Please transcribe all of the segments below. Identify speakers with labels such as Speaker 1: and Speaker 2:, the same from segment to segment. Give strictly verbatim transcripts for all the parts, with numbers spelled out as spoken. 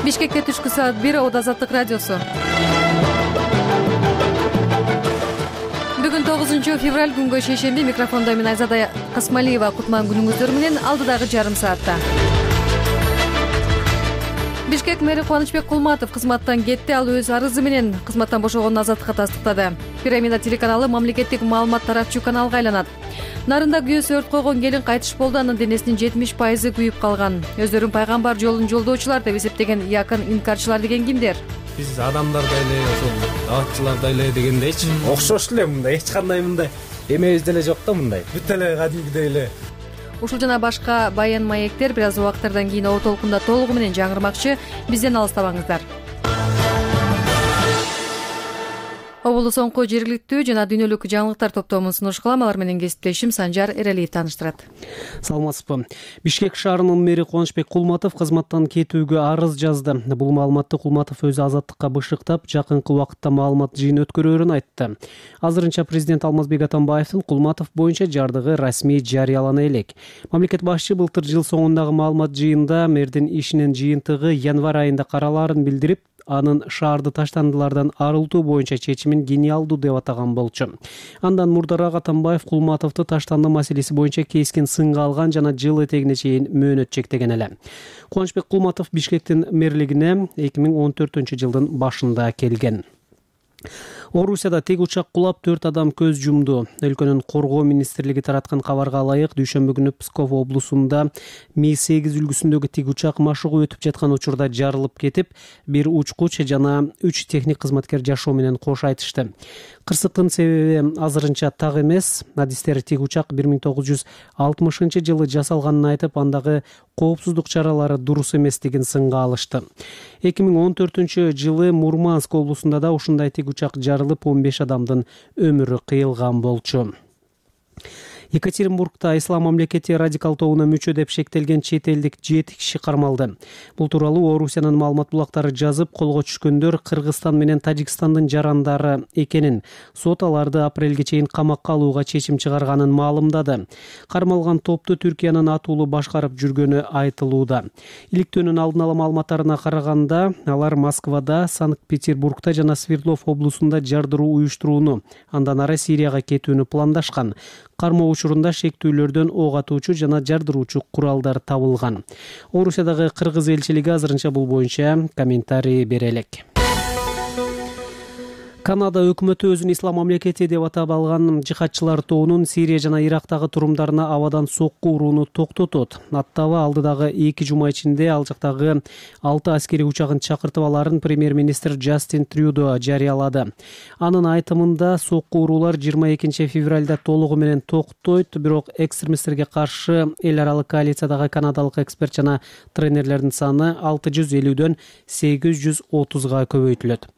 Speaker 1: Бишкекте түшкү саат бир. Ода Азаттык радиосу. Бүгүн тогузунчу февраль, күнгө шейшемби. Микрофондо мен Айзада Касмалиева. Кутман күнүңүздөр менен алдыдагы жарым саатта. Бишкек мэри Кубанычбек Кулматов кызматтан кетти. Ал өз арызы менен кызматтан бошогонун Азаттыкка тастыктады. Пирамида телеканалы мамлекеттик маалымат таратчу каналга айланат. Нарында күйөөсү өрт койгон келин кайтыш болду. Анын денесинин жетимиш пайызы күйүп калган. Өздөрүн пайгамбар жолун жолдоочулар деп эсептеген якын инкарчылар деген кимдер?
Speaker 2: Биз адамдардай эле, ошол даатчылардай эле дегендейчи.
Speaker 3: Окшош эле мындай, эч кандай мындай эмебиз деле жок да мындай. Бүт эле кадимгидей эле.
Speaker 1: Ушул жана башка баян маектер бир аз убакыттардан кийин оо толкунда толугу менен жаңырмакчы. Бизден алыстабаңыздар. Обулу соңку жергиликтүү жана дүйнөлүк жаңылыктар топтомун сунуш кылам. Алар менен кесиптешим Санжар Эралиев тааныштырат.
Speaker 4: Саламатсызбы. Бишкек шаарынын мэри Кубанычбек Кулматов кызматтан кетүүгө арыз жазды. Бул маалыматты Кулматов өзү Азаттыкка бышыктап, жакынкы убакытта маалымат жыйын өткөрөөрүн айтты. Азырынча президент Алмазбек Атамбаевдин Кулматов боюнча жардыгы расмий жарыялана элек. Мамлекет башчы былтыр жыл соңундагы маалымат жыйында мэрдин ишинин жыйынтыгы январь айында каралаарын билдирип, анын шаарды таштандылардан арылтуу боюнча чечимин гениалдуу деп атаган болчу. Андан мурдараак Атамбаев Кулматовду таштанды маселеси боюнча кескин сынга алган жана жыл этегине чейин мөөнөт чектеген эле. Кубанычбек Кулматов Бишкектин мэрлигине эки миң он төртүнчү жылдын башында келген. Орусияда тег учак кулап төрт адам көз жумду. Өлкөнүн коргоо министрлиги тараткан кабарга ылайык, дүйшөмбү күнү Псков облусунда Ми сегиз үлгүсүндөгү тег учак машыгуу өтүп жаткан учурда жарылып кетип, бир учкуч жана үч техник кызматкер жашоо менен кош айтышты. Кырсыктын себеби азырынча так эмес. Адистер тег учак бир миң тогуз жүз алтымышынчы жылы жасалганын айтып, андагы коопсуздук чаралары дурус эместигин сынга алышты. эки миң он төртүнчү жылы Мурманск облусунда да ушундай тег учак жарылып, он беш адамдын өмүрү кыйылган болчу. Екатеринбургда Ислам мамлекети радикал тобуна мүчө деп шектелген чет элдик жети киши кармалды. Бул тууралуу Орусиянын маалымат булактары жазып, колго түшкөндөр Кыргызстан менен Тажикстандын жарандары экенин, сот аларды апрелге чейин камакка алууга чечим чыгарганын маалымдады. Кармалган топту Түркиянын атуулу башкарып жүргөнү айтылууда. Иликтөөнүн алдын ала маалыматтарына караганда, алар Москвада, Санкт-Петербургда жана Свердлов облусунда жардыруу уюштурууну, андан ары Сирияга кетүүнү пландашкан. Кармоо учурунда шектүүлөрдөн ок атуучу жана жардыруучу куралдар табылган. Орусиядагы Кыргыз элчилиги азырынча бул боюнча комментарий бере элек. Канада өкмөтү өзүн Ислам мамлекети деп атап алган жихадчылар тобунун Сирия жана Ирактагы турумдарына абадан сокку урууну токтотот. Аттабы алдыдагы эки жума ичинде ал жактагы алты аскери учагын чакыртып аларын премьер-министр Джастин Трюдо жарыялады. Анын айтымында сокку уруулар жыйырма экинчи февралда толугу менен токтойт, бирок экстремисттерге каршы эл аралык коалициядагы канадалык эксперт жана тренерлердин саны алты жүз элүүдөн сегиз жүз отузга көбөйтүлөт.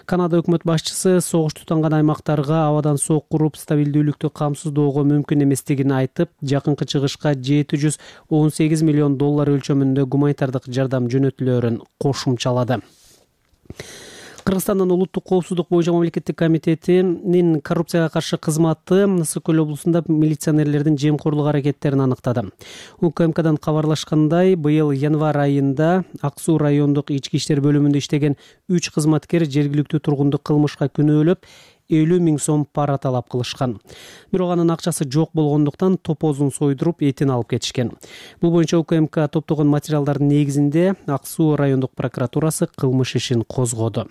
Speaker 4: Канада өкмөт башчысы согуш тутанган аймактарга абадан сокку уруп стабилдүүлүктү камсыздоого мүмкүн эместигин айтып, жакынкы чыгышка жети жүз он сегиз миллион доллар өлчөмүндө гуманитардык жардам жөнөтүлөөрүн кошумчалады. Кыргызстандын улуттук коопсуздук боюнча мамлекеттик комитетинин коррупцияга каршы кызматы Ысык көл облусунда милиционерлердин жемкорлук аракеттерин аныктады. УКМКдан кабарлашкандай, быйыл январь айында Ак Суу райондук ички иштер бөлүмүндө иштеген үч кызматкер жергиликтүү тургунду кылмышка күнөөлөп, элүү миң сом пара талап кылышкан. Бирок анын акчасы жок болгондуктан топозун сойдуруп, этин алып кетишкен. Бул боюнча УКМК топтогон материалдардын негизинде Ак Суу райондук прокуратурасы кылмыш ишин козгоду.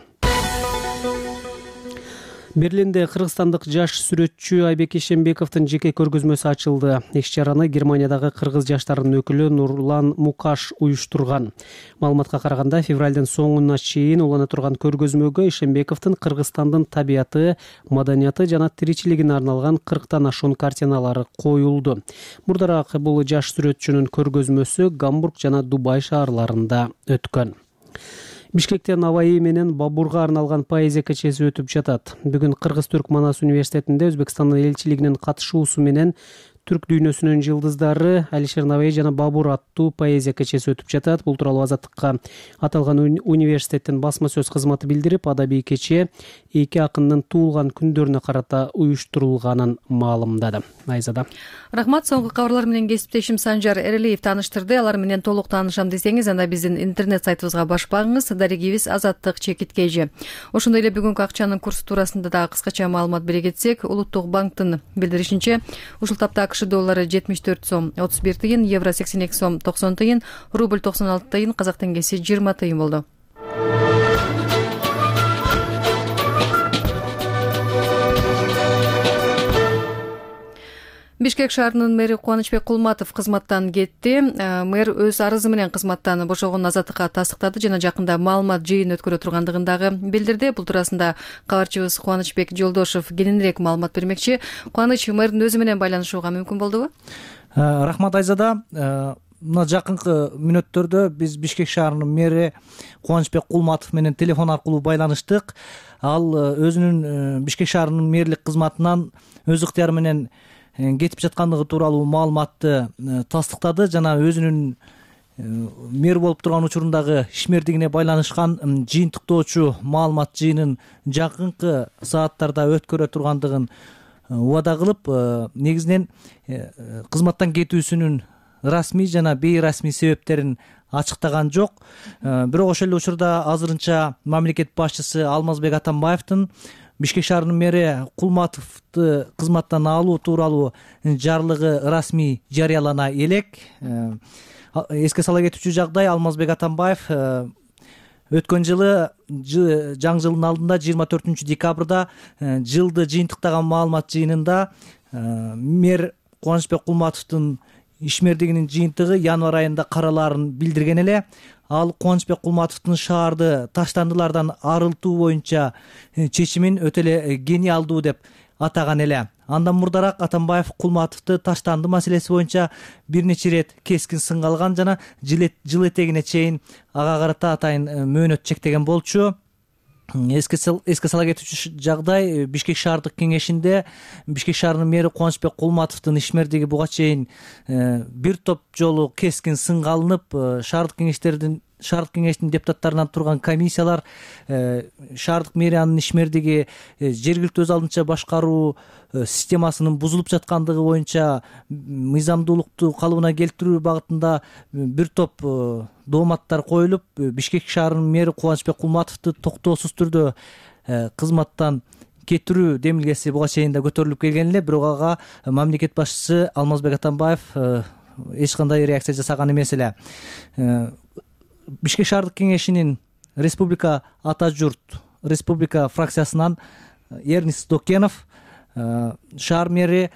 Speaker 4: Берлинде кыргызстандык жаш сүрөтчү Айбек Ишембековдун жеке көргөзмөсү ачылды. Иш-чараны Германиядагы кыргыз жаштарынын өкүлү Нурлан Мукаш уюштурган. Маалыматка караганда, февралдын соңуна чейин улана турган көргөзмөгө Ишембековдун Кыргызстандын табияты, маданияты жана тиричилигине арналган кырктан ашуун картиналары коюлду. Мурдараак бул жаш сүрөтчүнүн көргөзмөсү Гамбург жана Дубай шаарларында өткөн. Бишкекте Наваи менен Бабурга арналган поэзия кечеси өтүп жатат. Бүгүн Кыргыз-Түрк Манас университетинде Өзбекстандын элчилигинин катышуусу менен түрк дүйнөсүнүн жылдыздары Алишер Набаи жана Бабур аттуу поэзия кечеси өтүп жатат. Бул тууралуу Азаттыкка аталган университеттин басма сөз кызматы билдирип, адабий кече эки акындын туулган күндөрүнө карата уюштурулганын маалымдады. Айзада.
Speaker 1: Рахмат. Соңку кабарлар менен кесиптешим Санжар Эрелиев тааныштырды. Алар менен толук таанышам десеңиз, анда биздин интернет сайтыбызга баш багыңыз. Дарегибиз Азаттык чекит kg. Ошондой эле бүгүнкү акчанын курсу туурасында да кыскача маалымат бере кетсек, Улуттук банктын билдиришинче, ушул тапта АКШ доллары жетимиш төрт сом отуз бир тыйын, евро сексен эки сом токсон тыйын, рубль токсон алты тыйын, казак теңгеси жыйырма тыйын болду. Бишкек шаарынын мэри Кубанычбек Кулматов кызматтан кетти. Мэр өз арызы менен кызматтан бошогонун Азаттыкка тастыктады жана жакында маалымат жыйын өткөрө тургандыгын дагы билдирди. Бул туурасында кабарчыбыз Кубанычбек Жолдошов кененирээк маалымат бермекчи. Кубаныч, мэрдин өзү менен байланышууга мүмкүн болдубу?
Speaker 5: Рахмат, Айзада. Мына жакынкы мүнөттөрдө биз Бишкек шаарынын мэри Кубанычбек Кулматов менен телефон аркылуу байланыштык. Ал өзүнүн Бишкек шаарынын мэрлик кызматынан өз ыктыяры менен кетип жаткандыгы тууралуу маалыматты тастыктады жана өзүнүн мэр болуп турган учурундагы ишмердигине байланышкан жыйынтыктоочу маалымат жыйынын жакынкы сааттарда өткөрө тургандыгын убада кылып, негизинен кызматтан кетүүсүнүн расмий жана бейрасмий себептерин ачыктаган жок. Бирок ошол эле учурда азырынча мамлекет башчысы Алмазбек Атамбаевдин Бишкек шаарынын мэри Кулматовду кызматтан алуу тууралуу жарлыгы расмий жарыялана элек. Эске сала кетүүчү жагдай, Алмазбек Атамбаев өткөн жылы жаңы жылдын алдында жыйырма төртүнчү декабрда жылды жыйынтыктаган маалымат жыйынында мэр Кубанычбек Кулматовдун ишмердигинин жыйынтыгы январь айында каралаарын билдирген эле. Ал Кубанычбек Кулматовдун шаарды таштандылардан арылтуу боюнча чечимин өтө эле гениалдуу деп атаган эле. Андан мурдараак Атамбаев Кулматовду таштанды маселеси боюнча бир нече ирет кескин сынга алган жана жыл этегине чейин ага карата атайын мөөнөт чектеген болчу. Эске сала кетүүчү жагдай, Бишкек шаардык кеңешинде Бишкек шаарынын мэри Кубанычбек Кулматовдун ишмердиги буга чейин бир топ жолу кескин сынга алынып, шаардык кеңештердин шаардык кеңештин депутаттарынан турган комиссиялар шаардык мэриянын ишмердиги жергиликтүү өз алдынча башкаруу системасынын бузулуп жаткандыгы боюнча мыйзамдуулукту калыбына келтирүү багытында бир топ дооматтар коюлуп, Бишкек шаарынын мэри Кубанычбек Кулматовду токтоосуз түрдө кызматтан кетирүү демилгеси буга чейин да көтөрүлүп келген эле, бирок ага мамлекет башчысы Алмазбек Атамбаев эч кандай реакция жасаган эмес эле. Бишкек шаардык кеңешинин республика ата журт республика фракциясынан Эрнис Докенов шаар мэри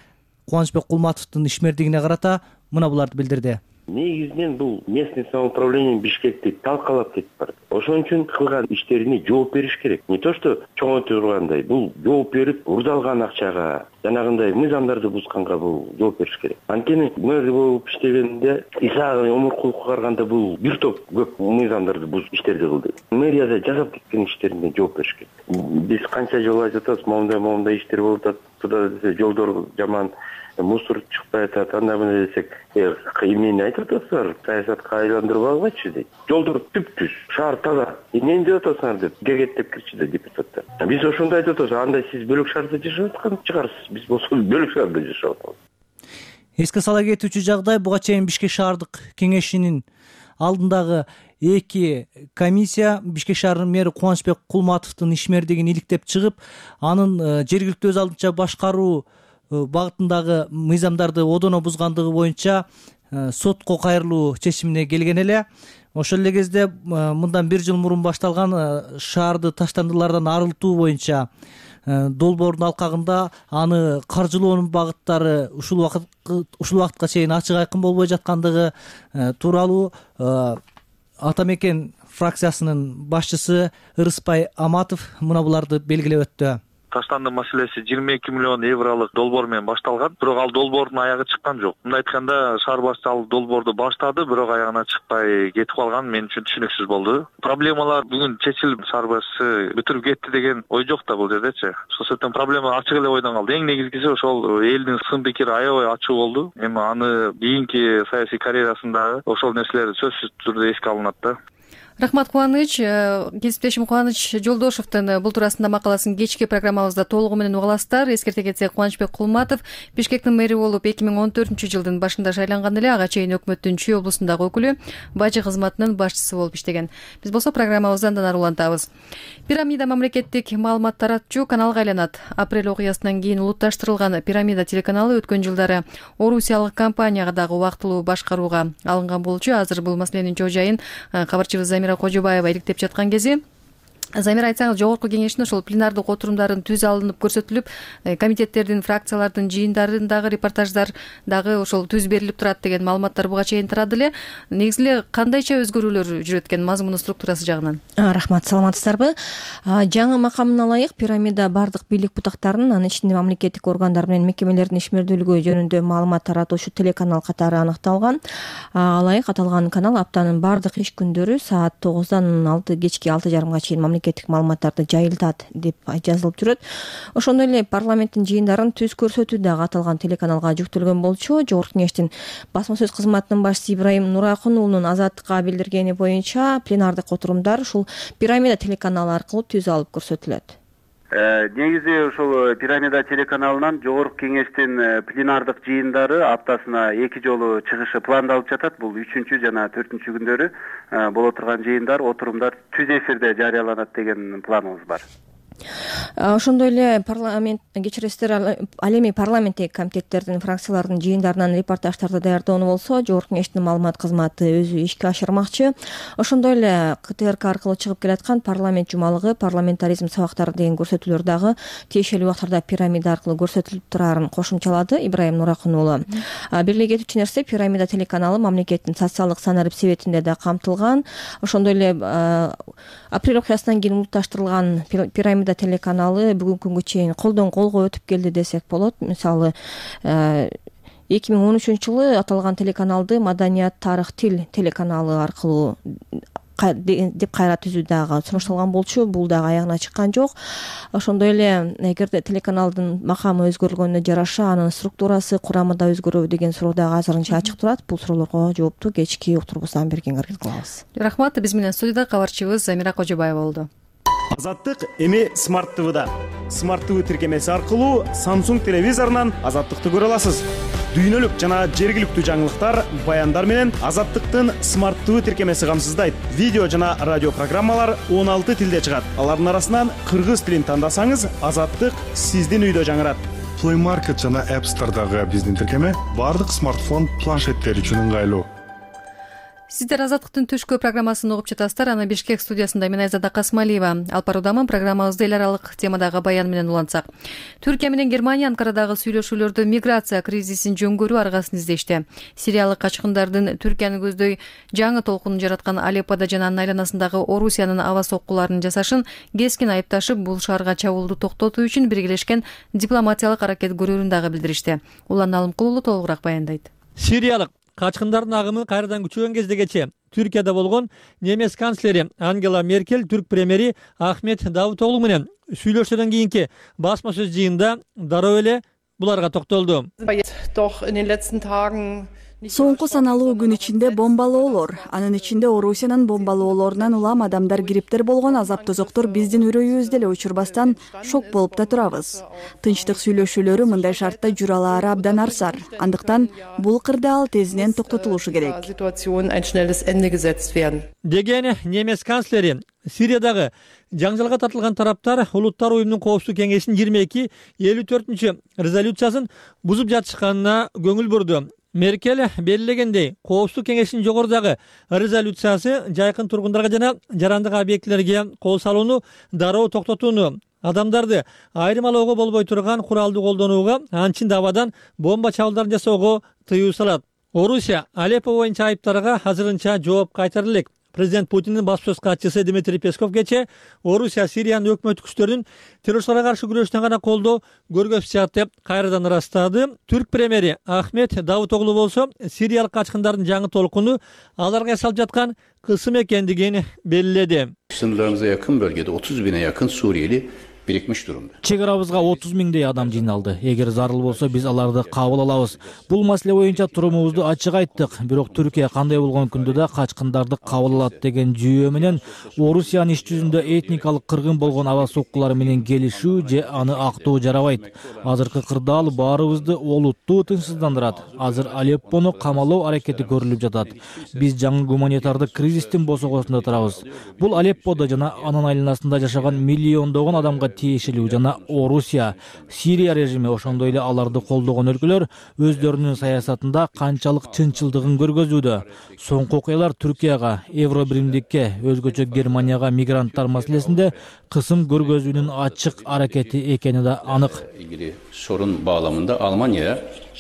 Speaker 5: Кубанычбек Кулматовдун ишмердигине карата мына буларды билдирди.
Speaker 6: Негизинен бул местный самоуправление Бишкекти талкалап кетип барат. Ошон үчүн кылган иштерине жооп бериш керек. Не то что чоңойтуп тургандай, бул жооп берип, урдалган акчага, жанагындай мыйзамдарды бузганга бул жооп бериш керек. Анткени мэр болуп иштегенде Исаак Омуркуловго караганда бул бир топ көп мыйзамдарды бузуп иштерди кылды. Мэрияда жасап кеткен иштерине жооп бериш керек. Биз канча жолу айтып атабыз, моундай моундай иштер болуп атат, туда десе жолдор жаман, мусор чыкпай атат, анда мына десек, эмнени айтып атасыздар, саясатка айландырып алгачы дейт. Жолдор түп-түз, шаар таза. Эмнени деп атасыңар деп гегеттеп кирчи да депутаттар. Биз ошондой айтып атабыз, анда сиз бөлөк шаарда жашап аткан чыгарсыз, биз болсо бөлөк шаарда жашап атабыз.
Speaker 5: Эске сала кетүүчү жагдай, буга чейин Бишкек шаардык кеңешинин алдындагы эки комиссия Бишкек шаарынын мэри Кубанычбек Кулматовдун ишмердигин иликтеп чыгып, анын жергиликтүү өз алдынча башкаруу багытындагы мыйзамдарды одоно бузгандыгы боюнча сотко кайрылуу чечимине келген эле. Ошол эле кезде мындан бир жыл мурун башталган шаарды таштандылардан арылтуу боюнча долбоордун алкагында аны каржылоонун багыттары ушул убакыт ушул убакытка чейин ачык айкын болбой жаткандыгы тууралуу Ата мекен фракциясынын башчысы Ырыспай Аматов мына буларды белгилеп өттү.
Speaker 7: таштанды маселеси жыйырма эки миллион евролук долбоор менен башталган, бирок ал долбоордун аягы чыккан жок. Мындай айтканда, шаар башчысы ал долбоорду баштады, бирок аягына чыкпай кетип калган мен үчүн түшүнүксүз болду. Проблемалар бүгүн чечилип, шаар башчысы бүтүрүп кетти деген ой жок да бул жердечи. Ошол себептен проблема ачык эле ойдон калды. Эң негизгиси ошол элдин сын пикири аябай ачуу болду. Эми аны кийинки саясий карьерасында ошол нерселер сөзсүз түрдө эске алынат да.
Speaker 1: Рахмат, Кубаныч. Кесиптешим Кубаныч Жолдошовдун бул туурасында макаласын кечки программабызда толугу менен угаласыздар. Эскерте кетсек, Кубанычбек Кулматов Бишкектин мэри болуп эки миң он төртүнчү жылдын башында шайланган эле, ага чейин өкмөттүн Чүй облусундагы өкүлү, бажы кызматынын башчысы болуп иштеген. Биз болсо программабызды андан ары улантабыз. Пирамида мамлекеттик маалымат таратчу каналга айланат. Апрель окуясынан кийин улутташтырылган Пирамида телеканалы өткөн жылдары орусиялык компанияга дагы убактылуу башкарууга алынган болчу. Азыр бул маселенин чоо жайын кабарчыбыз Замира Кожобаева иликтеп жаткан кези. Замира, айтсаңыз, жогорку кеңештин ошол пленардык отурумдарын түз алынып көрсөтүлүп, комитеттердин, фракциялардын жыйындарындагы репортаждар дагы ошол түз берилип турат деген маалыматтар буга чейин тарады эле. Негизи эле кандайча өзгөрүүлөр жүрөт экен мазмуну, структурасы жагынан?
Speaker 8: Рахмат, саламатсыздарбы? Жаңы макамына ылайык Пирамида бардык бийлик бутактарынын, анын ичинде мамлекеттик органдар менен мекемелердин ишмердүүлүгү жөнүндө маалымат таратуучу телеканал катары аныкталган. Алайык аталган канал аптанын бардык иш күндөрү саат тогуздан алты кечки алты жарымга чейин мамлекеттик маалыматтарды жайылтат деп жазылып жүрөт. Ошондой эле парламенттин жыйындарын түз көрсөтүү дагы аталган телеканалга жүктөлгөн болчу. Жогорку кеңештин басма сөз кызматынын башчысы Ибраим Нуракун уулунун Азаттыкка билдиргени боюнча, пленардык отурумдар ушул Пирамида телеканалы аркылуу түз алып көрсөтүлөт.
Speaker 9: Негизи ошол Пирамида телеканалынан жогорку кеңештин пленардык жыйындары аптасына эки жолу чыгышы пландалып жатат. Бул үчүнчү жана төртүнчү күндөрү боло турган жыйындар, отурумдар түз эфирде жарыяланат деген планыбыз бар.
Speaker 8: Ошондой эле парламент кечиресиздер, ал эми парламенттеги комитеттердин, фракциялардын жыйындарынан репортаждарды даярдоону болсо, жогорку кеңештин маалымат кызматы өзү ишке ашырмакчы. Ошондой эле КТРК аркылуу чыгып келаткан парламент жумалыгы, парламентаризм сабактары деген көрсөтүүлөр дагы тиешелүү убактарда Пирамида аркылуу көрсөтүлүп турарын кошумчалады Ибраим Нуракун уулу. Бир эле кетүүчү нерсе, Пирамида телеканалы мамлекеттин социалдык санарип себетинде да камтылган. Ошондой эле апрель окуясынан кийин улутташтырылган Пирамида телеканалы бүгүнкү күнгө чейин колдон колго өтүп келди десек болот. Мисалы, эки миң он үчүнчү жылы аталган телеканалды Маданият, тарых, тил телеканалы аркылуу деп кайра түзүү дагы сунушталган болчу. Бул дагы аягына чыккан жок. Ошондой эле эгерде телеканалдын макамы өзгөрүлгөнүнө жараша анын структурасы, курамы да өзгөрөбү деген суроо дагы азырынча ачык турат. Бул суроолорго жоопту кечки уктурубуздан бери кеңиргиз кылабыз.
Speaker 1: Рахмат. Биз менен студияда кабарчыбыз Замира Кожобаева болду.
Speaker 10: Азаттык эми Smart ти ви-да. Smart ти ви тиркемеси аркылуу Samsung телевизорунан Азаттыкты көрө аласыз. Дүйнөлүк жана жергиликтүү жаңылыктар, баяндар менен Азаттыктын Smart ти ви тиркемеси камсыздайт. Видео жана радио программалар он алты тилде чыгат. Алардын арасынан кыргыз тилин тандасаңыз, Азаттык сиздин үйдө жаңырат.
Speaker 11: Play Market жана App Store'дагы биздин тиркеме бардык смартфон, планшеттер үчүн ыңгайлуу.
Speaker 1: Сиздер Азаттыктын түшкү программасын угуп жатасыздар. Аны Бишкек студиясында мен Айзада Касмалиева алып баруудамын. Программабызды эл аралык темадагы баян менен улантсак. Түркия менен Германия Анкарадагы сүйлөшүүлөрдө миграция кризисин жөнгөрүү аргасын издешти. Сириялык качкындардын Түркияны көздөй жаңы толкунун жараткан Алеппода жана анын айланасындагы Орусиянын аба соккуларын жасашын кескин айыпташып, бул шаарга чабуулду токтотуу үчүн биргелешкен дипломатиялык аракет көрүүрүн дагы билдиришти. Улан Алымкул уулу толугураак баяндайт.
Speaker 12: Сириялык качкындардын агымы кайрадан күчөгөн кездегече Түркияда болгон немец канцлери Ангела Меркель түрк премьери Ахмет Давутоглу менен сүйлөшүүдөн кийинки басма сөз жыйында дароо эле буларга токтолду.
Speaker 13: Соңку саналуу күн ичинде бомбалоолор, анын ичинде Орусиянын бомбалоолорунан улам адамдар кириптер болгон азап тозоктор биздин үрөйүбүздү эле учурбастан шок болуп да турабыз. Тынчтык сүйлөшүүлөрү мындай шартта жүрө алаары абдан арсар. Андыктан бул кырдаал тезинен токтотулушу керек.
Speaker 12: Деген немец канцлери. Сириядагы жаңжалга тартылган тараптар Улуттар уюмунун коопсуздук кеңешинин жыйырма эки элүү төртүнчү резолюциясын бузуп жатышканына көңүл бурду. Меркель белгилегендей, коопсуздук кеңешинин жогорудагы резолюциясы жайкын тургундарга жана жарандык объектилерге кол салууну дароо токтотууну, адамдарды айырмалоого болбой турган куралды колдонууга, анчын да абадан бомба чабуулдарын жасоого тыюу салат. Орусия Алеппо боюнча айыптарга азырынча жооп кайтара элек. президент Путиндин баш сөз катчысы Дмитрий Песков кечээ Орусия Сириянын өкмөттүк күчтөрүнүн террорчуларга каршы күрөштөн гана колдоо көргөзүшат деп кайрадан ырастады. Түрк премьери Ахмет Давутоглу болсо сириялык качкындардын жаңы толкуну аларга эсалып жаткан кысым экендигин белгиледи.
Speaker 14: Sınırlarımıza yakın bölgede otuz bine yakın Suriyeli birikmiş durumda.
Speaker 15: Чек арабызга отуз миңдей адам жыйналды. Эгер зарыл болсо биз аларды кабыл алабыз. Бул маселе боюнча турумубузду ачык айттык. Бирок Түркия кандай болгон күндө да качкындарды кабыл алат деген жүйө менен Орусиянын иш жүзүндө этникалык кыргын болгон аба соккулар менен келишүү же аны актоо жарабайт. Азыркы кырдаал баарыбызды олуттуу тынчсыздандырат. Азыр Алеппону камалоо аракети көрүлүп жатат. Биз жаңы гуманитардык кризистин босогосунда турабыз. Бул Алепподо жана анын айланасында жашаган миллиондогон адамга тиешелүү жана Орусия, Сирия режими ошондой эле аларды колдогон өлкөлөр өздөрүнүн саясатында канчалык чынчылдыгын көргөзүүдө. Соңку окуялар Түркияга, Евробиримдикке, өзгөчө Германияга мигранттар маселесинде кысым көргөзүүнүн ачык аракети экени да анык.
Speaker 14: İlgili sorun bağlamında Almanya'ya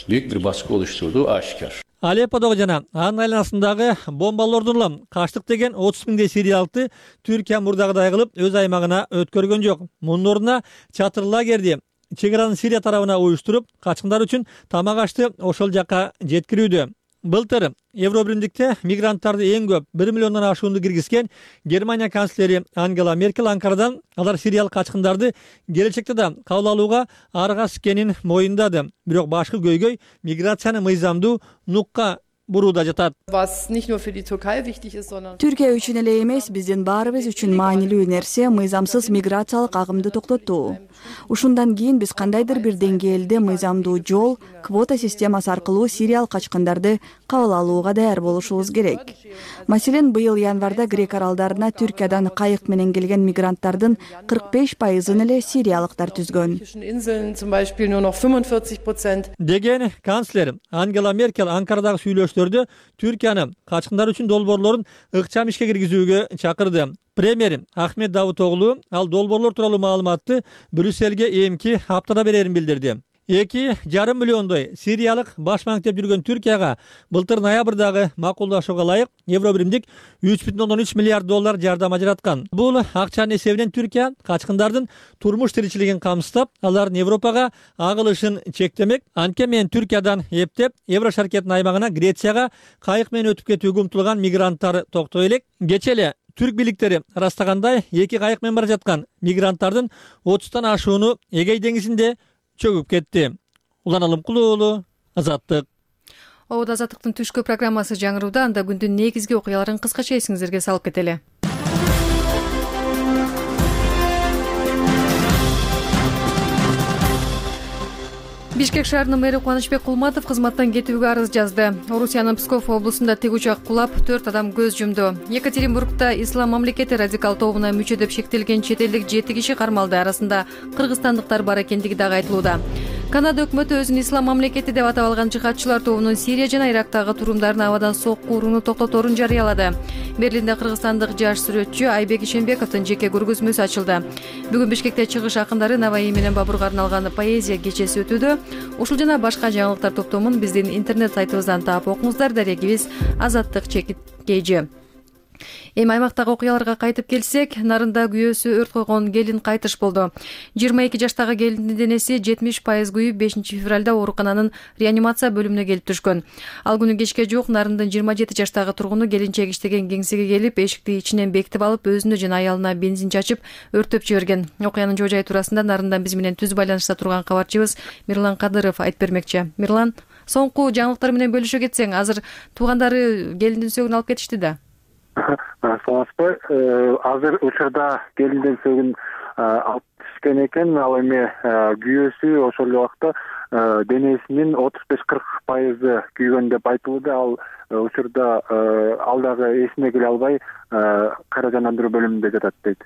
Speaker 14: büyük bir baskı oluşturduğu aşikar.
Speaker 12: Алепподо жана анын айланасындагы бомбалоордун улам качтык деген отуз миңдей сириялыкты Түркия мурдагыдай кылып өз аймагына өткөргөн жок. Мунун ордуна чатыр лагерди чек араны Сирия тарабына уюштуруп, качкындар үчүн тамак ашты ошол жакка жеткирүүдө. Былтыр Евробиримдикте мигранттарды эң көп бир миллиондон ашуунду киргизген Германия канцлери Ангела Меркель Анкарадан алар сириялык качкындарды келечекте да кабыл алууга аргасыз экенин моюндады. Бирок башкы көйгөй миграцияны мыйзамдуу нукка бурууда жатат.
Speaker 13: Түркия үчүн эле эмес, биздин баарыбыз үчүн маанилүү нерсе мыйзамсыз миграциялык агымды токтотуу. Ушундан кийин биз кандайдыр бир деңгээлде мыйзамдуу жол, квота системасы аркылуу сириялык качкындарды кабыл алууга даяр болушубуз керек. Маселен, быйыл январда Грек аралдарына Түркиядан кайык менен келген мигранттардын кырк беш пайызын эле сириялыктар түзгөн.
Speaker 12: Деген канцлер Ангела Меркель Анкарадагы сүйлөштөрдө Түркияны качкындар үчүн долбоорлорун ыкчам ишке киргизүүгө чакырды. Премьер Ахмет Давутоглу ал долбоорлор тууралуу маалыматты Брюссельге эмки аптада берерин билдирди. эки жарым миллиондой сириялык баш маектеп жүргөн Түркияга былтыр ноябрдагы макулдашууга ылайык Евробиримдик үч бүтүн ондон үч миллиард доллар жардам ажыраткан. Бул акчанын эсебинен Түркия качкындардын турмуш тиричилигин камсыздап, алардын Европага агылышын чектемек. Анткени менен Түркиядан эптеп Евро шаркеттин аймагына Грецияга кайык менен өтүп кетүүгө умтулган мигранттар токтой элек. Кечээ эле Түрк бийликтери ырастагандай эки кайык менен бара жаткан мигранттардын отуздан ашууну Эгей деңизинде чөгүп кетти. Улан Алымкулуу уулу, Азаттык.
Speaker 1: Обод Азаттыктын түшкү программасы жаңырууда, анда күндүн негизги окуяларын кыскача эсиңиздерге салып кетели. Бишкек шаарынын мэри Кубанычбек Кулматов кызматтан кетүүгө арыз жазды. Орусиянын Псков облусунда тик учак кулап, төрт адам көз жумду. Екатеринбургда Ислам мамлекети радикал тобуна мүчө деп шектелген чет элдик жети киши кармалды. Арасында кыргызстандыктар бар экендиги дагы айтылууда. Канада өкмөтү өзүн Ислам мамлекети деп атап алган жихадчылар тобунун Сирия жана Ирактагы турумдарын абадан сокку урууну токтоторун жарыялады. Берлинде кыргызстандык жаш сүрөтчү Айбек Ишенбековдун жеке көргөзмөсү ачылды. Бүгүн Бишкекте чыгыш акындары Наваи менен Бабурга арналган поэзия кечеси өтүүдө. Ушул жана башка жаңылыктар топтомун биздин интернет сайтыбыздан таап окуңуздар. Дарегибиз Азаттык чекит кж. Эми аймактагы окуяларга кайтып келсек, Нарында күйөөсү өрт койгон келин кайтыш болду. жыйырма эки жаштагы келиндин денеси жетимиш пайыз күйүп, бешинчи февралда оорукананын реанимация бөлүмүнө келип түшкөн. Ал күнү кечке жуук Нарындын жыйырма жети жаштагы тургуну келинчек иштеген кеңсеге келип, эшикти ичинен бекитип алып, өзүнө жана аялына бензин чачып, өрттөп жиберген. Окуянын жоо жайы туурасында Нарындан биз менен түз байланышта турган кабарчыбыз Мирлан Кадыров айтып бермекчи. Мирлан, соңку жаңылыктар менен бөлүшө кетсең, азыр туугандары келиндин сөөгүн алып кетишти да.
Speaker 16: Саламатсызбы? Азыр учурда келиндин сөөгүн алып кетишкен экен. Ал эми күйөөсү ошол убакта денесинин отуз беш кырк пайызы күйгөн деп айтылууда. Ал учурда ал дагы эсине келе албай кайра жандандыруу бөлүмүндө жатат дейт.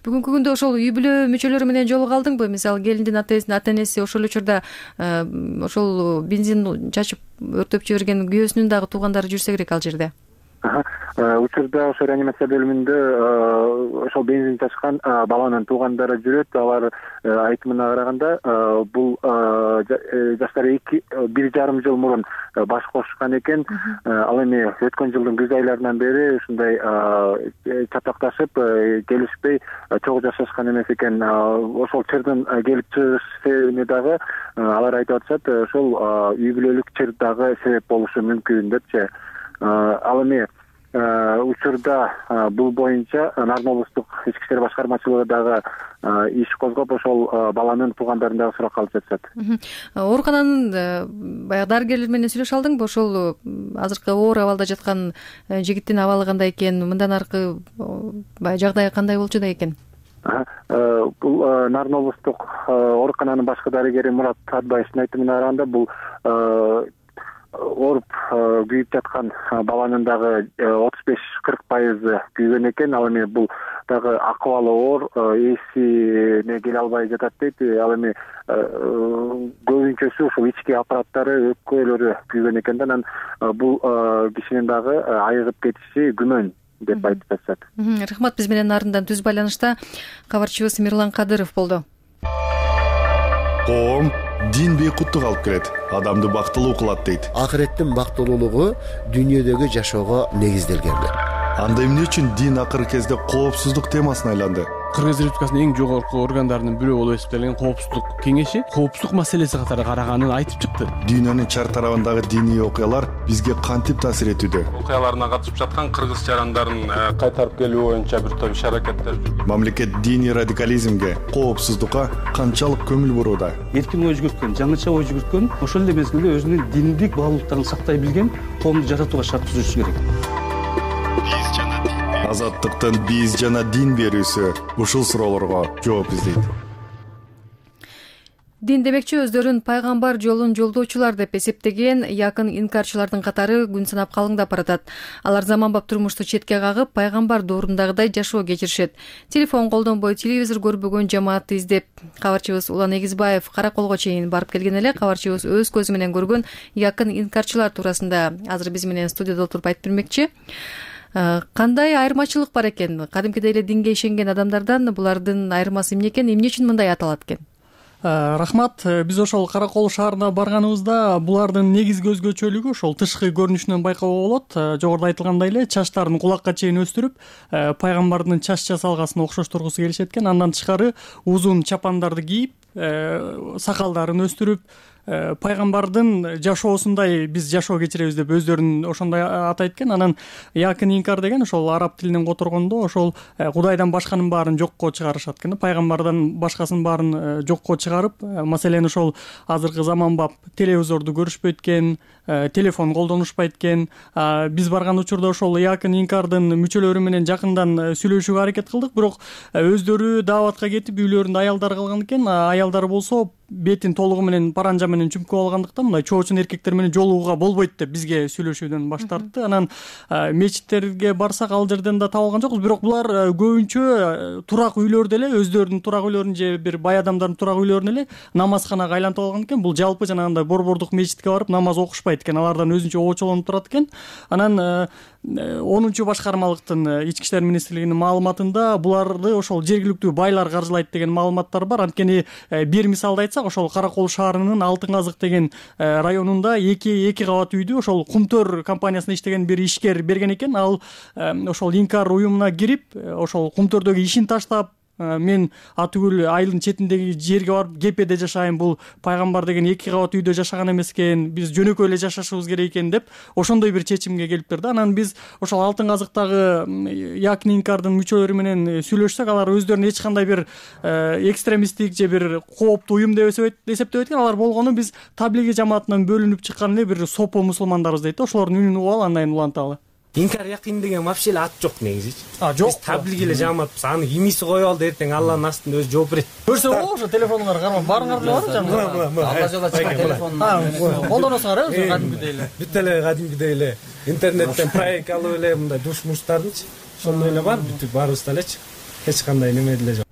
Speaker 1: Бүгүнкү күндө ошол үй бүлө мүчөлөрү менен жолугалдыңбы? Мисалы келиндин ата энеси ошол учурда ошол бензин чачып өрттөп жиберген күйөөсүнүн дагы туугандары жүрсө керек ал жерде.
Speaker 16: учурда ошо реанимация бөлүмүндө ошол бензин чачкан баланын туугандары жүрөт. Алар айтымына караганда бул жаштары эки бир жарым жыл мурун баш кошушкан экен. Ал эми өткөн жылдын күз айларынан бери ушундай чатакташып келишпей чогуу жашашкан эмес экен. Ошол чырдын келип чыгыш себебине дагы алар айтып атышат, ошол үй бүлөлүк чыр дагы себеп болушу мүмкүн депчи. Ал эми учурда бул боюнча Нарын облустук ички иштер башкармачылыгы дагы иш козгоп, ошол баланын туугандарын дагы суракка алып жатышат.
Speaker 1: Оорукананын баягы дарыгерлер менен сүйлөшө алдыңбы? Ошол азыркы оор абалда жаткан жигиттин абалы кандай экен, мындан аркы баягы жагдайы кандай болчу да экен?
Speaker 16: Бул Нарын облустук оорукананын башкы дарыгери Мурат Атбаевдин айтымына караганда, бул ооруп күйүп жаткан баланын дагы отуз беш кырк пайызы күйгөн экен. Ал эми бул дагы акыбалы оор, эсине келе албай жатат дейт. Ал эми көбүнчөсү ушул ички аппараттары, өпкөлөрү күйгөн экен да, анан бул кишинин дагы айыгып кетиши күмөн деп айтып жатышат.
Speaker 1: Рахмат. Биз менен Нарындан түз байланышта кабарчыбыз Мирлан Кадыров болду.
Speaker 11: Коом дин бейкуттук алып келет, адамды бактылуу кылат дейт.
Speaker 17: Акыреттин бактылуулугу дүйнөдөгү жашоого негизделген.
Speaker 11: Анда эмне үчүн дин акыркы кезде коопсуздук темасына айланды?
Speaker 18: Кыргыз Республикасынын эң жогорку органдарынын бирөө болуп эсептелген коопсуздук кеңеши коопсуздук маселеси катары караганын айтып чыкты.
Speaker 11: Дүйнөнүн чар тарабындагы диний окуялар бизге кантип таасир этүүдө?
Speaker 18: Окуяларына катышып жаткан кыргыз жарандарын кайтарып келүү боюнча бир топ иш-аракеттер.
Speaker 11: Мамлекет диний радикализмге, коопсуздукка канчалык көңүл бурууда?
Speaker 19: Эркин ой жүгүрткөн, жаңыча ой жүгүрткөн, ошол эле мезгилде өзүнүн диндик баалуулуктарын сактай билген коомду жаратууга шарт түзүшү керек.
Speaker 11: Азаттыктын биз жана дин берүүсү ушул суроолорго жооп издейт.
Speaker 1: Дин демекчи өздөрүн пайгамбар жолун жолдоочулар деп эсептеген якын инкарчылардын катары күн санап калыңдап баратат. Алар заманбап турмушту четке кагып, пайгамбар доорундагыдай жашоо кечиришет. Телефон колдонбой, телевизор көрбөгөн жамаатты издеп, кабарчыбыз Улан Эгизбаев Караколго чейин барып келген эле. Кабарчыбыз өз көзү менен көргөн якын инкарчылар туурасында азыр биз менен студияда отуруп айтып бермекчи. Кандай айырмачылык бар экен? Кадимкидей эле динге ишенген адамдардан булардын айырмасы эмне экен? Эмне үчүн мындай аталат экен?
Speaker 20: Рахмат. Биз ошол Каракол шаарына барганыбызда булардын негизги өзгөчөлүгү ошол тышкы көрүнүшүнөн байкоого болот. Жогоруда айтылгандай эле чачтарын кулакка чейин өстүрүп, пайгамбардын чач жасалгасын окшоштургусу келишет экен. Андан тышкары узун чапандарды кийип, сакалдарын өстүрүп, пайгамбардын жашоосундай биз жашоо кечиребиз деп өздөрүн ошондой атайт экен. Анан якын инкар деген ошол араб тилинен которгондо ошол Кудайдан башканын баарын жокко чыгарышат экен. Пайгамбардан башкасынын баарын жокко чыгарып, маселен ошол азыркы заманбап телевизорду көрүшпөйт экен, телефон колдонушпайт экен. Биз барган учурда ошол якын инкардын мүчөлөрү менен жакындан сүйлөшүүгө аракет кылдык, бирок өздөрү дааватка кетип үйлөрүндө аялдар калган экен. Аялдар болсо бетин толугу менен паранжа менен чүмкүп алгандыктан мындай чоочун эркектер менен жолугууга болбойт деп бизге сүйлөшүүдөн баш тартты. Анан мечиттерге барсак ал жерден да таба алган жокпуз, бирок булар көбүнчө турак үйлөрдө эле, өздөрүнүн турак үйлөрүн же бир бай адамдардын турак үйлөрүн эле намазканага айлантып алган экен. Бул жалпы жанагындай борбордук мечитке барып намаз окушпайт экен, алардан өзүнчө оочолонуп турат экен. Анан онунчу башкармалыктын ички иштер министрлигинин маалыматында буларды ошол жергиликтүү байлар каржылайт деген маалыматтар бар. Анткени бир мисалды айтсак, ошол Каракол шаарынын Алтын Казык деген районунда эки эки кабат үйдү ошол Кумтөр компаниясында иштеген бир ишкер берген экен. Ал ошол инкар уюмуна кирип, ошол Кумтөрдөгү ишин таштап, мен атүгүл айылдын четиндеги жерге барып кепеде жашайм, бул пайгамбар деген эки кабат үйдө жашаган эмес экен, биз жөнөкөй эле жашашыбыз керек экен деп ошондой бир чечимге келиптир да. Анан биз ошол Алтын Казыктагы якын инкардын мүчөлөрү менен сүйлөшсөк, алар өздөрүн эч кандай бир экстремисттик же бир кооптуу уюм деп эсептебейт экен. Алар болгону биз таблиги жамаатынан бөлүнүп чыккан эле бир сопо мусулмандарбыз дейт да. Ошолордун үнүн угуп алып андан уланталы.
Speaker 3: Инкар якын деген вообще эле ат жок негизичи.
Speaker 20: А, жок.
Speaker 3: Биз таблиги эле жамаатпыз. Аны имиси коюп алды, эртең Алланын астында өзү жооп берет.
Speaker 20: Көрсө болобу ошо телефонуңар кармап барыңар деле бар жанагы.
Speaker 3: Алла жолдо чыккан
Speaker 20: телефон. Колдоносуңар э, кадимкидей эле.
Speaker 3: Бүт эле кадимкидей эле интернеттен проект алып эле мындай душ-муштардынчы ошондой эле бар, бүт баарыбызда элечи. Эч кандай неме деле жок.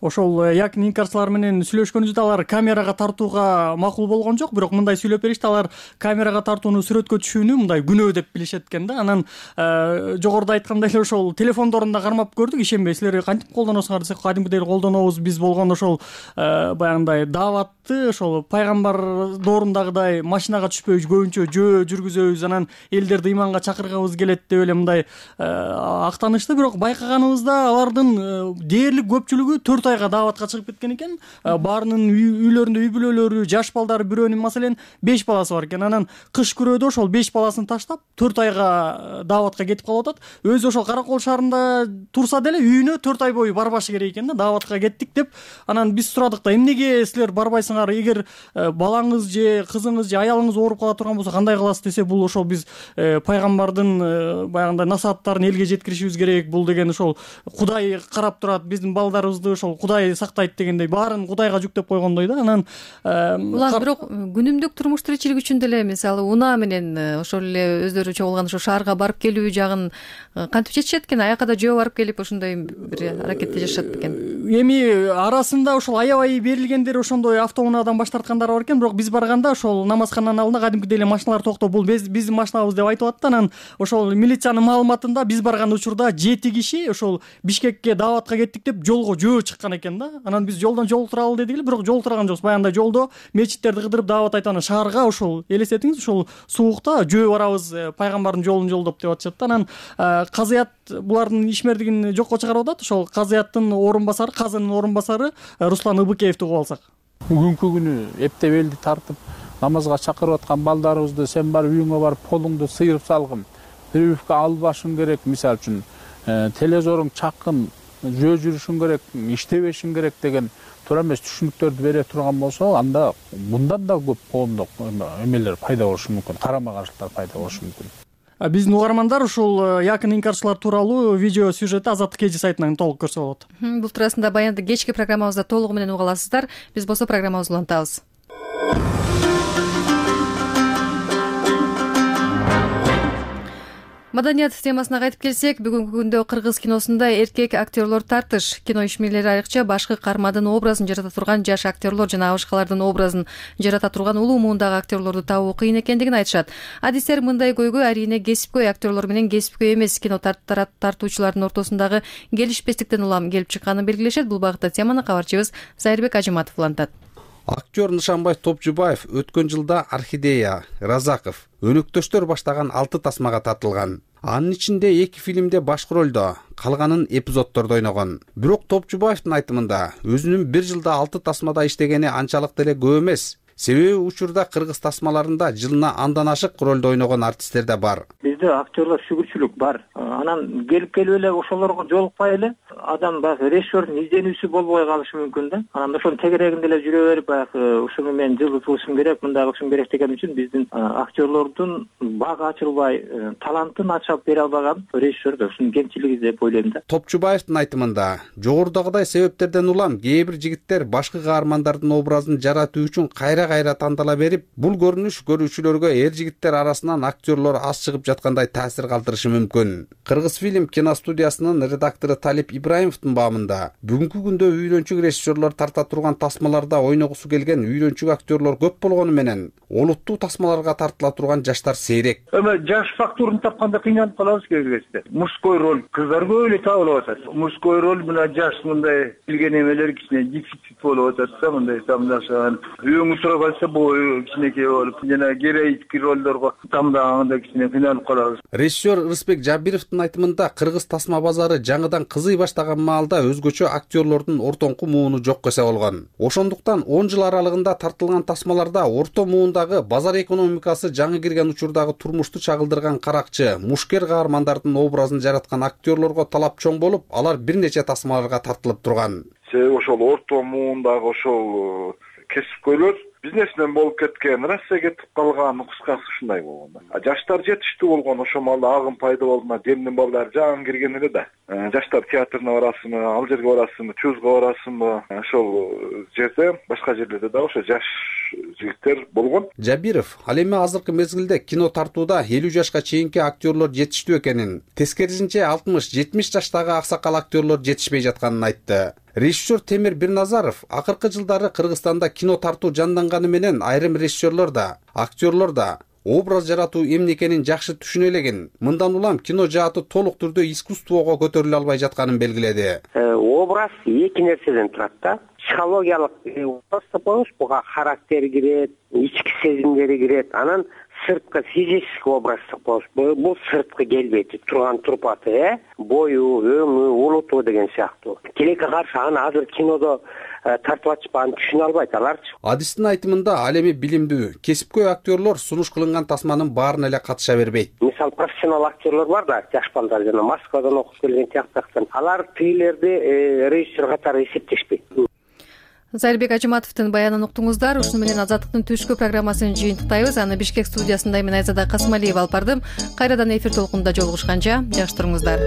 Speaker 20: ошол якин инкарчылар менен сүйлөшкөнүбүздө алар камерага тартууга макул болгон жок, бирок мындай сүйлөп беришти, алар камерага тартууну сүрөткө түшүүнү мындай күнөө деп билишет экен да. Анан жогоруда айткандай эле ошол телефондорун да кармап көрдүк, ишенбей силер кантип колдоносуңар десек, кадимкидей колдонобуз биз болгондо ошол баягындай дааватты ошол пайгамбар доорундагыдай машинага түшпөй көбүнчө жөө жүргүзөбүз, анан элдерди ыйманга чакыргыбыз келет деп эле мындай актанышты. Бирок байкаганыбызда алардын дээрлик көпчүлүгү төрт айга дааватка чыгып кеткен экен. Баарынын үйлөрүндө үй бүлөлөрү, жаш балдары, бирөөнүн маселен беш баласы бар экен. Анан кыш күрөөдө ошол беш баласын таштап төрт айга дааватка кетип калып атат. Өзү ошол Кара Кол шаарында турса деле үйүнө төрт ай бою барбашы керек экен да, дааватка кеттик деп. Анан биз сурадык да, эмнеге силер барбайсыңар, эгер балаңыз же кызыңыз же аялыңыз ооруп кала турган болсо кандай кыласыз десе, бул ошол биз пайгамбардын баягындай насааттарын элге жеткиришибиз керек, бул деген ошол Кудай карап турат, биздин балдарыбызды ошол Кудай сактайт дегендей баарын Кудайга жүктөп койгондой да. Анан улан бирок күнүмдүк турмуш тиричилик үчүн деле мисалы унаа менен ошол эле өздөрү чогулган ошо шаарга барып келүү жагын кантип чечишет экен? Аякка жөө барып келип ошондой бир аракетте жашашат экен. Эми арасында ошол аябай берилгендер ошондой автоунаадан баш тарткандар бар экен, бирок биз барганда ошол намазкананын алдында кадимкидей эле машиналар токтоп, бул биздин машинабыз деп айтып атты. Анан ошол милициянын маалыматында биз барган учурда жети киши ошол Бишкекке дааватка кеттик деп жолго жөө чыккан экен да. Анан биз жолдон жолтуралы дедик эле, бирок жолтурган жокпуз. Баягындай жолдо мечиттерди кыдырып даават айтып, анан шаарга ошол элестетиңиз, ошол суукта жөө барабыз, пайгамбардын жолун жолдоп деп атышат да. Анан казыят булардын ишмердигин жокко чыгарып атат. Ошол казыяттын орун басары, казынын орун басары Руслан Ыбыкеевди угуп алсак.
Speaker 21: Бүгүнкү күнү эптеп элди тартып намазга чакырып аткан балдарыбызды сен барып үйүңө барып колуңду сыйрып салгын, бирөөбүккө албашың керек, мисалы үчүн телевизоруң чакын, жөө жүрүшүң керек, иштебешиң керек деген туура эмес түшүнүктөрдү бере турган болсо, анда мындан да көп коомдук эмелер пайда болушу мүмкүн, карама каршылыктар пайда болушу мүмкүн. Биздин угармандар ушул якын инкарчылар тууралуу видео сюжетти Азаттык эжи сайтынан толук көрсө болот.
Speaker 1: Бул туурасында баянды кечки программабызда толугу менен уга аласыздар. Биз болсо программабызды улантабыз. Маданият темасына кайтып келсек, бүгүнкү күндө кыргыз киносунда эркек актерлор тартыш. Кино ишмерлери айрыкча башкы кармадын образын жарата турган жаш актерлор жана башкалардын образын жарата турган улуу муундагы актерлорду табуу кыйын экендигин айтышат. Адистер мындай көйгөй арине кесипкөй актерлор менен кесипкөй эмес кино тартуучулардын ортосундагы келишпестиктен улам келип чыкканын белгилешет. Бул багытта теманы кабарчыбыз Зайырбек Ажыматов улантат.
Speaker 22: Актер Нышанбай Топчубаев өткөн жылда Орхидея, Разаков, Өнөктөштөр баштаган алты тасмага тартылган. Анын ичинде эки фильмде башкы ролдо, калганын эпизоддордо ойногон. Бирок Топчубаевдин айтымында өзүнүн бир жылда алты тасмада иштегени анчалык деле көп эмес. Себеби учурда кыргыз тасмаларында жылына андан ашык ролдо ойногон артисттер да бар.
Speaker 23: Бизде актерлор шүгүрчүлүк бар. Анан келип келип эле ошолорго жолукпай эле адам баягы режиссердун изденүүсү болбой калышы мүмкүн да. Анан ошонун тегерегинде эле жүрө берип баягы ушуну мен жылдыз кылышым керек, мындай кылышым керек деген үчүн биздин актерлордун бага ачылбай, талантын ачып бере албаган режиссер да ушунун кемчилиги деп ойлойм да.
Speaker 22: Топчубаевдин айтымында жогорудагыдай себептерден улам кээ бир жигиттер башкы каармандардын образын жаратуу үчүн кайра кайра тандала берип, бул көрүнүш көрүүчүлөргө эр жигиттер арасынан актерлор аз чыгып жаткандай таасир калтырышы мүмкүн. Кыргыз фильм киностудиясынын редактору Талип Ибраимовдун баамында бүгүнкү күндө үйрөнчүк режиссерлор тарта турган тасмаларда ойногусу келген үйрөнчүк актерлор көп болгону менен олуттуу тасмаларга тартыла турган жаштар сейрек.
Speaker 24: Эме жаш фактурун тапканда кыйналып калабыз кээ бир кезде. Мужской роль кыздар көп эле табылып атат. Мужской роль менен жаш мындай билген эмелер кичине дефицит болуп атат да, мындай тамдашан. Үйөңү тура калса бою кичинекей болуп, жана героический ролдорго тамдаганда кичине кыйналып калабыз.
Speaker 22: Режиссер Рысбек Жабировдун айтымында кыргыз тасма базары жаңыдан кызый баштаган маалда өзгөчө актерлордун ортоңку мууну жок эсе болгон. Ошондуктан он жыл аралыгында тартылган тасмаларда орто муундагы базар экономикасы жаңы кирген учурдагы турмушту чагылдырган каракчы, мушкер каармандардын образын жараткан актерлорго талап чоң болуп, алар бир нече тасмаларга тартылып турган.
Speaker 25: Себеби ошол орто муундагы ошол кесипкөйлөр бизнесмен болуп кеткен, Россия кетип калган, кыскасы ушундай болгон. Жаштар жетиштүү болгон, ошол маалда агым пайда болду, демдин балдары жаңы кирген эле да. Жаштар театрына барасыңбы, ал жерге барасыңбы, чузга барасыңбы, ошол жерде, башка жерлерде да ошо жаш жигиттер болгон.
Speaker 22: Жабиров ал эми азыркы мезгилде кино тартууда элүү жашка чейинки актерлор жетиштүү экенин, тескерисинче алтымыш жетимиш жаштагы аксакал актерлор жетишпей жатканын айтты. Режиссер Темир Бирназаров акыркы жылдары Кыргызстанда кино тартуу жанданганы менен айрым режиссерлор да, актерлор да образ жаратуу эмне экенин жакшы түшүнө элеген. Мындан улам кино жааты толук түрдө искусствого көтөрүлө албай жатканын белгиледи.
Speaker 2: Образ эки нерседен турат да. Психологиялык образ деп коебуз, буга характер кирет, ички сезимдери кирет. Анан сырткы физический образ деп коебуз. Бул сырткы келбети, турган турпаты, э, бою, өңү, улуту деген сыяктуу. Тилекке каршы аны азыр кинодо тартып атышпаган түшүнө албайт аларчы.
Speaker 22: Адистин айтымында ал эми билимдүү, кесипкөй актерлор сунуш кылынган тасманын баарына эле катыша бербейт.
Speaker 2: Мисалы профессионал актерлор бар да, жаш балдар жана Москвадан окуп келген тияктактан. Алар тигилерди режиссер катары эсептешпейт.
Speaker 1: Зайырбек Ажыматовдун баянын уктуңуздар. Ушуну менен Азаттыктын түшкү программасын жыйынтыктайбыз. Аны Бишкек студиясында мен Айзада Касымалиева алып бардым. Кайрадан эфир толкунунда жолугушканча жакшы туруңуздар.